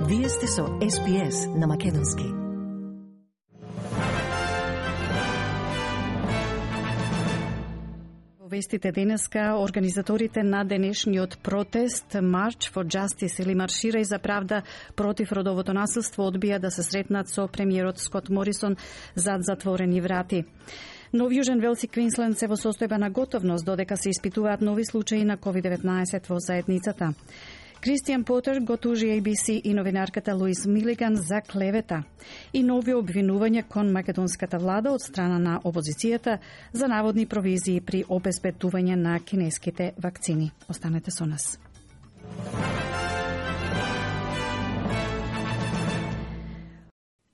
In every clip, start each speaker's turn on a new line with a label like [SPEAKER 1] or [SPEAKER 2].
[SPEAKER 1] Вие сте со SPS на Македонски. Во вестите денеска, организаторите на денешниот протест March for Justice или Марширај за правда против родовото насилство одбија да се сретнат со премиерот Скот Морисон зад затворени врати. Но Јужен Велс и Квинсленд се во состојба на готовност додека се испитуваат нови случаи на COVID-19 во заедницата. Кристијан Потер го тужи ABC и новинарката Луис Милиган за клевета и нови обвинувања кон македонската влада од страна на опозицијата за наводни провизии при обезбедување на кинеските вакцини. Останете со нас.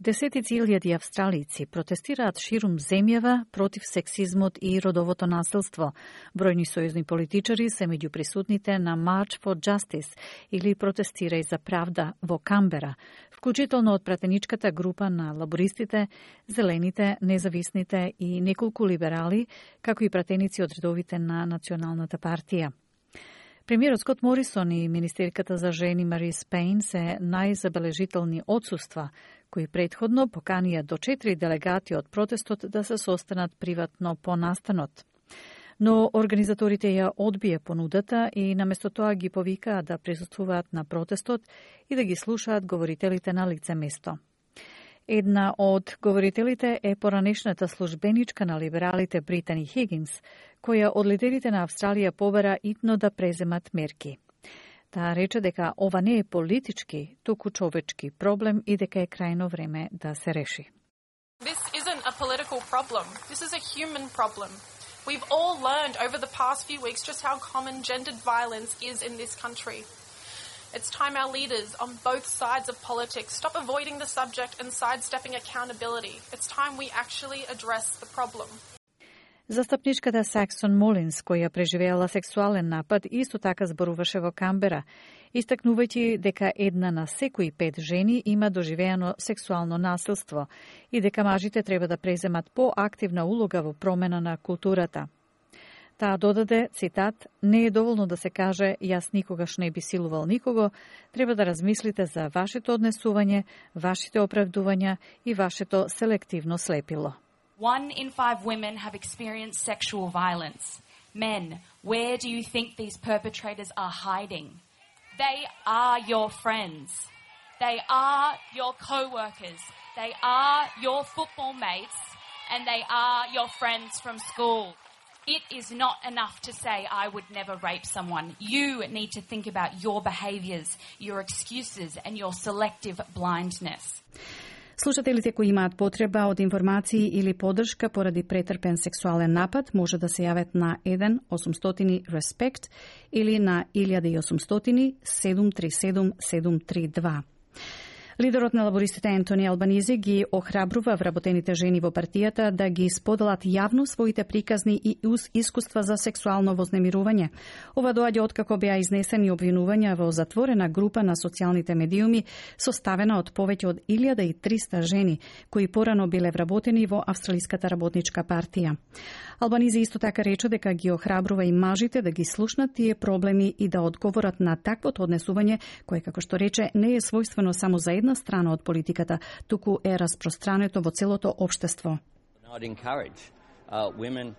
[SPEAKER 1] Десетици илјади австралици протестираат ширум земјава против сексизмот и родовото насилство. Бројни сојузни политичари се меѓу присутните на March for Justice или Протестирај за правда во Камбера, вклучително од пратеничката група на лабористите, зелените, независните и неколку либерали, како и пратеници од редовите на Националната партија. Премиерот Скот Морисон и министерката за жени Марис Пейн се најзабележителни отсуства, кои претходно поканија до 4 делегати од протестот да се состанат приватно по настанот. Но организаторите ја одбија понудата и наместо тоа ги повикаа да присуствуваат на протестот и да ги слушаат говорителите на лице место. Една од говорителите е поранешната службеничка на либералите Британи Хигинс, која од лидерите на Австралија побара итно да преземат мерки. Таа рече дека ова не е политички, туку човечки проблем и дека е крајно време да се реши.
[SPEAKER 2] This isn't a political problem. This is a human problem. We've all learned over the past few weeks just how common gendered violence is in this country. It's time our leaders on both sides of politics stop avoiding the subject and sidestepping accountability. It's time we actually address the problem.
[SPEAKER 3] Застапничката Саксон Молинс, која преживеала сексуален напад, исто така зборуваше во Камбера, истакнувајќи дека една на секои 5 жени има доживеано сексуално насилство и дека мажите треба да преземат поактивна улога во промена на културата. Таа додаде, цитат, не е доволно да се каже јас никогаш не би силувал никого, треба да размислите за вашето однесување, вашите оправдувања и вашето селективно слепило.
[SPEAKER 4] 1 in 5 women have experienced sexual violence. Men, where do you think these perpetrators are hiding? They are your friends. They are your co-workers. They are your football mates. And they are your friends from school. It is not enough to say, I would never rape someone. You need to think about your behaviours, your excuses and your selective blindness.
[SPEAKER 3] Слушателите кои имаат потреба од информации или поддршка поради претрпен сексуален напад може да се јават на 1-800-RESPECT или на 1800-737-732. Лидерот на лабористите Ентони Албанизи ги охрабрува вработените жени во партијата да ги споделат јавно своите приказни и искуства за сексуално вознемирување. Ова доаѓа откако беа изнесени обвинувања во затворена група на социјалните медиуми составена од повеќе од 1300 жени кои порано биле вработени во Австралиската работничка партија. Албанизи исто така рече дека ги охрабрува и мажите да ги слушнат тие проблеми и да одговорат на таквото однесување кое, како што рече, не е својствено само за една страна од политиката, туку е распространето во целото општество.
[SPEAKER 5] I'd encourage women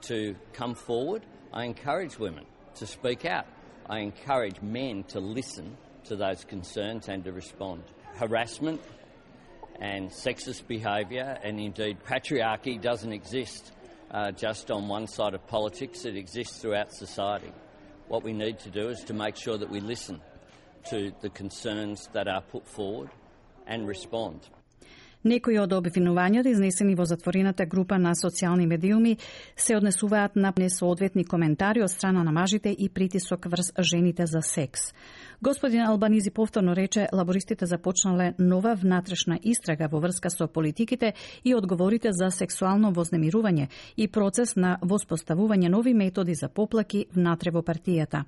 [SPEAKER 5] to come forward. I encourage women to speak out. I encourage men to listen to those concerns and to respond. Harassment and sexist behaviour and indeed patriarchy doesn't exist just on one side of politics. It exists throughout society. What we need to do is to make sure that we listen to the concerns that are put forward and respond.
[SPEAKER 3] Некои од обвинувањата изнесени во затворената група на социјални медиуми се однесуваат на несоодветни коментари од страна на мажите и притисок врз жените за секс. Господин Албанизи повторно рече, лабористите започнале нова внатрешна истрага во врска со политиките и одговорите за сексуално вознемирување и процес на воспоставување нови методи за поплаки внатре во партијата.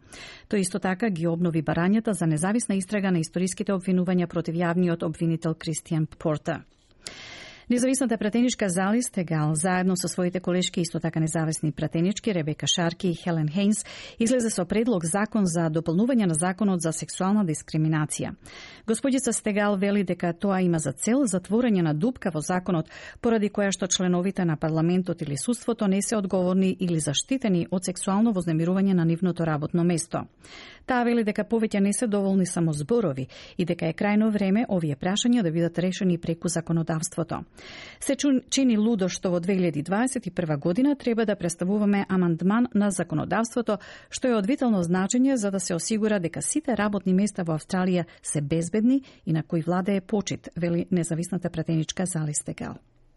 [SPEAKER 3] Тој исто така ги обнови барањата за независна истрага на историските обвинувања против јавниот обвинител Кристијан Портер. Независната пратеничка Зали Стегал, заедно со своите колешки исто така независни пратенички Ребека Шарки и Хелен Хейнс, излезе со предлог закон за дополнување на законот за сексуална дискриминација. Господица Стегал вели дека тоа има за цел затворање на дупка во законот, поради која што членовите на парламентот или судството не се одговорни или заштитени од сексуално вознемирување на нивното работно место. Таа вели дека повеќе не се доволни само зборови и дека е крајно време овие прашања да бидат решени преку законодавството. Се чини лудо што во 2021 година треба да представуваме амандман на законодавството, што е од витално значење за да се осигура дека сите работни места во Австралија се безбедни и на кои владее почит, вели независната пратеничка Зали Стегал.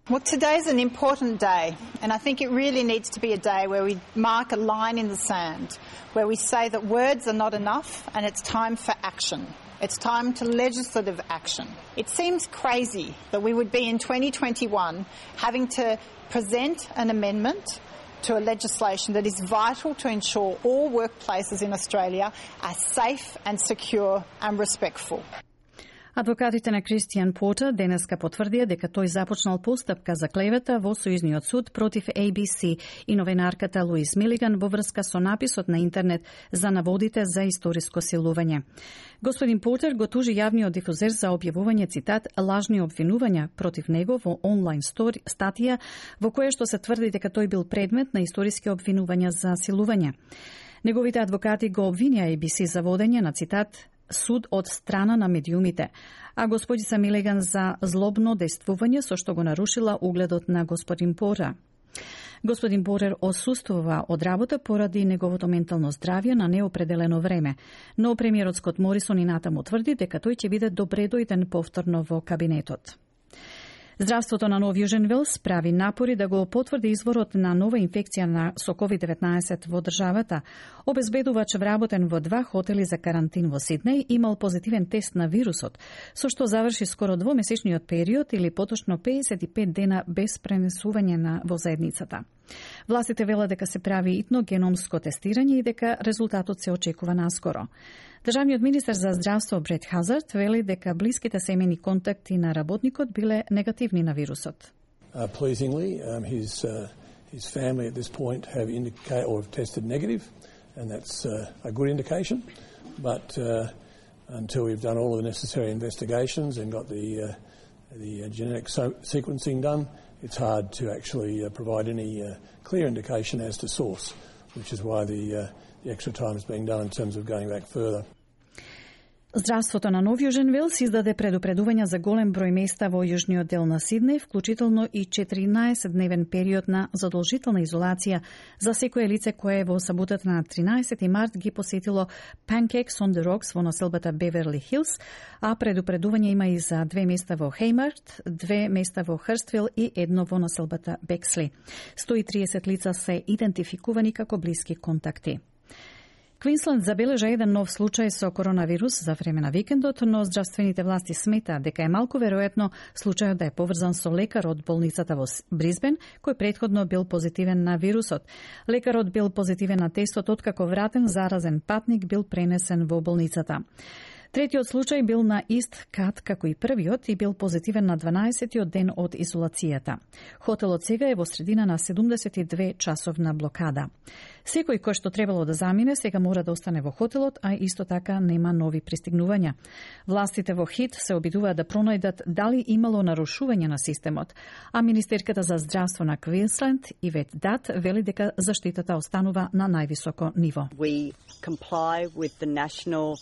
[SPEAKER 6] Well, today is an important day, and I think it really needs to be a day where we mark a line in the sand, where we say that words are not enough and it's time for action. It's time to legislative action. It seems crazy that we would be in 2021 having to present an amendment to a legislation that is vital to ensure all workplaces in Australia are safe and secure and respectful.
[SPEAKER 3] Адвокатите на Кристијан Портер денеска потврдија дека тој започнал постапка за клевета во Сојузниот суд против ABC и новинарката Луис Милиган во врска со написот на интернет за наводите за историско силување. Господин Портер го тужи јавниот дифузер за објавување, цитат, лажни обвинувања против него во онлайн статија во која што се тврди дека тој бил предмет на историски обвинувања за силување. Неговите адвокати го обвинија ABC за водење на, цитат, суд од страна на медиумите, а господица Милиган за злобно действување со што го нарушила угледот на господин Портер. Господин Портер отсуствува од работа поради неговото ментално здравје на неопределено време, но премиерот Скот Морисон и натаму тврди дека тој ќе биде добре дојден повторно во кабинетот. Здравството на Нов Јужен Велс прави напори да го потврди изворот на нова инфекција со COVID-19 во државата. Обезбедувач вработен во 2 хотели за карантин во Сиднеј имал позитивен тест на вирусот, со што заврши скоро двомесечниот период или поточно 55 дена без пренесување во заедницата. Властите велат дека се прави итно геномско тестирање и дека резултатот се очекува наскоро. Државниот министер за здравство Брет Хазард вели дека блиските семејни контакти на работникот биле негативни на вирусот.
[SPEAKER 7] Pleasingly, his family at this point have indicated or have tested negative, and that's a good indication. But until we've done all of the necessary investigations and got the genetic sequencing done, it's hard to actually provide any clear indication as to source, which is why the extra time is being done in terms of going back further.
[SPEAKER 3] Здравството на Нов Јужен Велс издаде предупредувања за голем број места во јужниот дел на Сиднеј, вклучително и 14-дневен период на задолжителна изолација за секое лице кое во саботата на 13 март ги посетило Pancakes on the Rocks во населбата Беверли Хилс, а предупредување има и за 2 места во Хеймарт, 2 места во Хрствил и 1 во населбата Бексли. 130 лица се идентификувани како блиски контакти. Квинсленд забележа еден нов случај со коронавирус за време на викендот, но здравствените власти сметаат дека е малку веројатно случајот да е поврзан со лекар од болницата во Брисбен, кој претходно бил позитивен на вирусот. Лекарот бил позитивен на тестот откако вратен заразен патник бил пренесен во болницата. Третиот случај бил на ист кат како и првиот и бил позитивен на 12-тиот ден од изолацијата. Хотелот сега е во средина на 72-часовна блокада. Секој кој што требало да замине сега мора да остане во хотелот, а исто така нема нови пристигнувања. Властите во Хит се обидуваат да пронајдат дали имало нарушување на системот, а министерката за здравство на Квинсленд Ивет Дат вели дека заштитата останува на највисоко ниво.
[SPEAKER 8] We comply with the national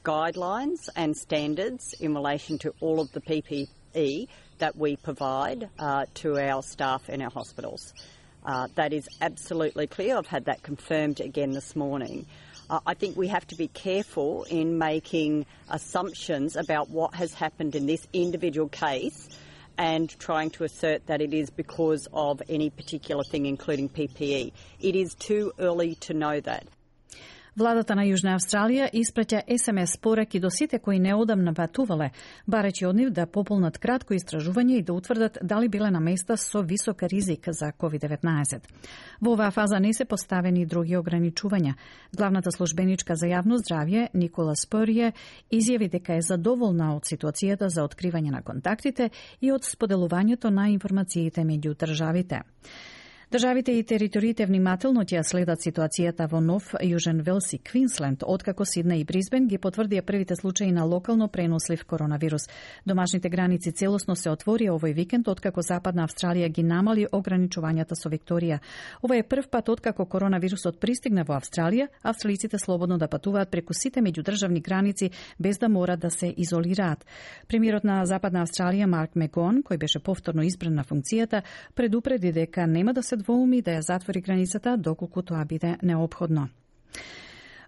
[SPEAKER 8] guidelines and standards in relation to all of the PPE that we provide to our staff in our hospitals. That is absolutely clear. I've had that confirmed again this morning. I think we have to be careful in making assumptions about what has happened in this individual case and trying to assert that it is because of any particular thing, including PPE. It is too early to know that.
[SPEAKER 3] Владата на Јужна Австралија испраќа SMS пораки до сите кои неодамна патувале, барејќи од нив да пополнат кратко истражување и да утврдат дали биле на места со висок ризик за COVID-19. Во оваа фаза не се поставени други ограничувања. Главната службеничка за јавно здравје, Никола Спорје, изјави дека е задоволна од ситуацијата за откривање на контактите и од споделувањето на информациите меѓу државите. Државите и териториите внимателно ќе следат ситуацијата во Нов Јужен Велс и Квинсленд, откако Сиднеј и Брисбен ги потврдија првите случаи на локално пренослив коронавирус. Домашните граници целосно се отворија овој викенд, откако Западна Австралија ги намали ограничувањата со Викторија. Ова е прв пат откако коронавирусот пристигна во Австралија, австралиците слободно да патуваат преку сите меѓудржавни граници без да мора да се изолираат. Премиерот на Западна Австралија Марк Мегон, кој беше повторно избран на функцијата, предупреди дека нема да се двоуми да ја затвори границата доколку тоа биде неопходно.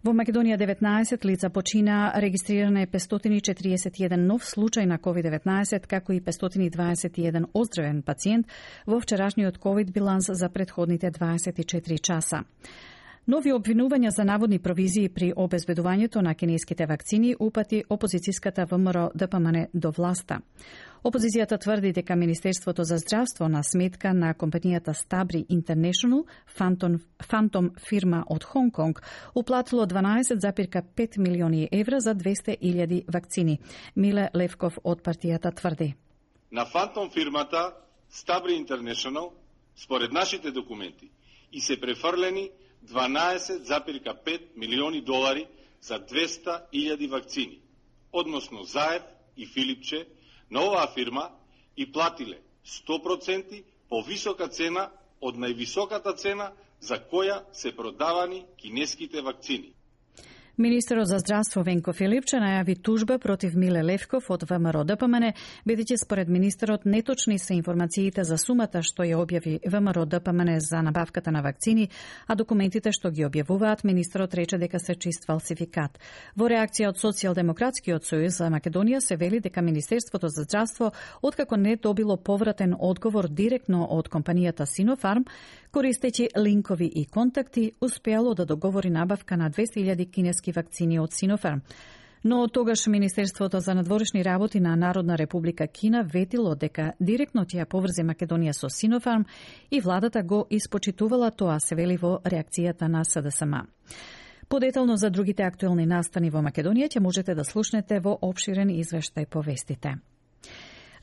[SPEAKER 3] Во Македонија 19 лица почина, регистрирана е 541 нов случај на COVID-19, како и 521 оздравен пациент во вчерашниот COVID биланс за претходните 24 часа. Нови обвинувања за наводни провизии при обезбедувањето на кинеските вакцини упати опозицијската ВМРО ДПМН до власта. Опозицијата тврди дека Министерството за здравство на сметка на компанијата Stabri International, фантом фирма од Хонг Конг, уплатило 12,5 милиони евра за 200.000 вакцини. Миле Левков од партијата тврди:
[SPEAKER 9] на фантом фирмата Stabri International, според нашите документи, и се префрлени 12,5 милиони долари за 200.000 вакцини, односно Заев и Филипче на оваа фирма и платиле 100% повисока цена од највисоката цена за која се продавани кинеските вакцини.
[SPEAKER 3] Министерот за здравство Венко Филипче најави тужба против Миле Левков од ВМРО ДПМН, бидејќи според министерот неточни се информациите за сумата што ја објави ВМРО ДПМН за набавката на вакцини, а документите што ги објавуваат министерот рече дека се чист фалсификат. Во реакција од Социјалдемократскиот сојуз за Македонија се вели дека Министерството за здравство, откако не добило повратен одговор директно од компанијата Синофарм, користејќи линкови и контакти, успеало да договори набавка на 200.000 кинески вакцини од Синофарм. Но тогаш Министерството за надворешни работи на Народна република Кина ветило дека директно ќе ја поврзе Македонија со Синофарм и владата го испочитувала тоа, се вели во реакцијата на СДСМ. Подетално за другите актуелни настани во Македонија ќе можете да слушнете во опширен извештај по вестите.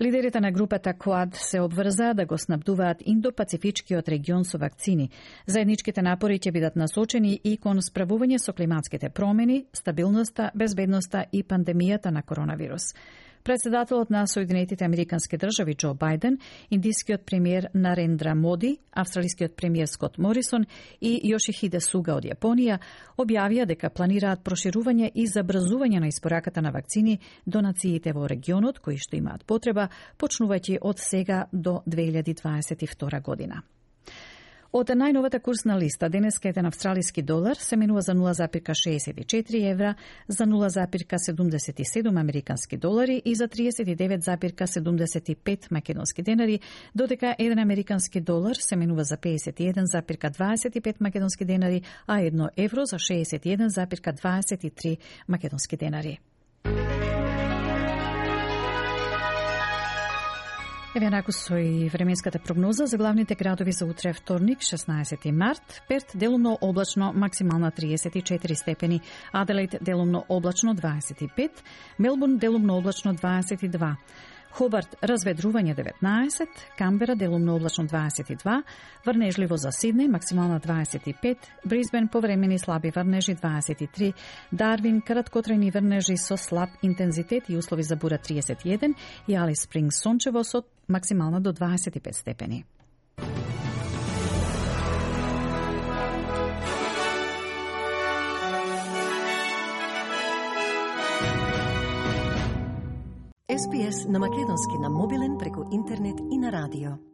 [SPEAKER 3] Лидерите на групата Quad се обврзаа да го снабдуваат Индо-Пацифичкиот регион со вакцини. Заедничките напори ќе бидат насочени и кон справување со климатските промени, стабилноста, безбедноста и пандемијата на коронавирус. Председателот на Соединетите Американски држави Џо Бајден, индискиот премиер Нарендра Моди, австралискиот премиер Скот Морисон и Јошихиде Суга од Јапонија објавија дека планираат проширување и забрзување на испораката на вакцини до нациите во регионот кои што имаат потреба, почнувајќи од сега до 2022 година. Од најновата курсна листа, денеска еден австралиски долар се менува за 0,64 евра, за 0,77 американски долари и за 39,75 македонски денари, додека еден американски долар се менува за 51,25 македонски денари, а 1 евро за 61,23 македонски денари. Еве наку со и временската прогноза за главните градови за утре вторник, 16 март. Перт делумно облачно, максимална 34 степени. Аделаид делумно облачно 25. Мелбурн делумно облачно 22. Хобарт разведрување 19, Камбера делумно облачно 22, врнежливо за Сиднеј максимална 25, Брисбен повремени слаби врнежи 23, Дарвин краткотрајни врнежи со слаб интензитет и услови за бура 31 и Алис Спрингс сончево со максимална до 25 степени.
[SPEAKER 10] SPS на македонски на мобилен преку интернет и на радио.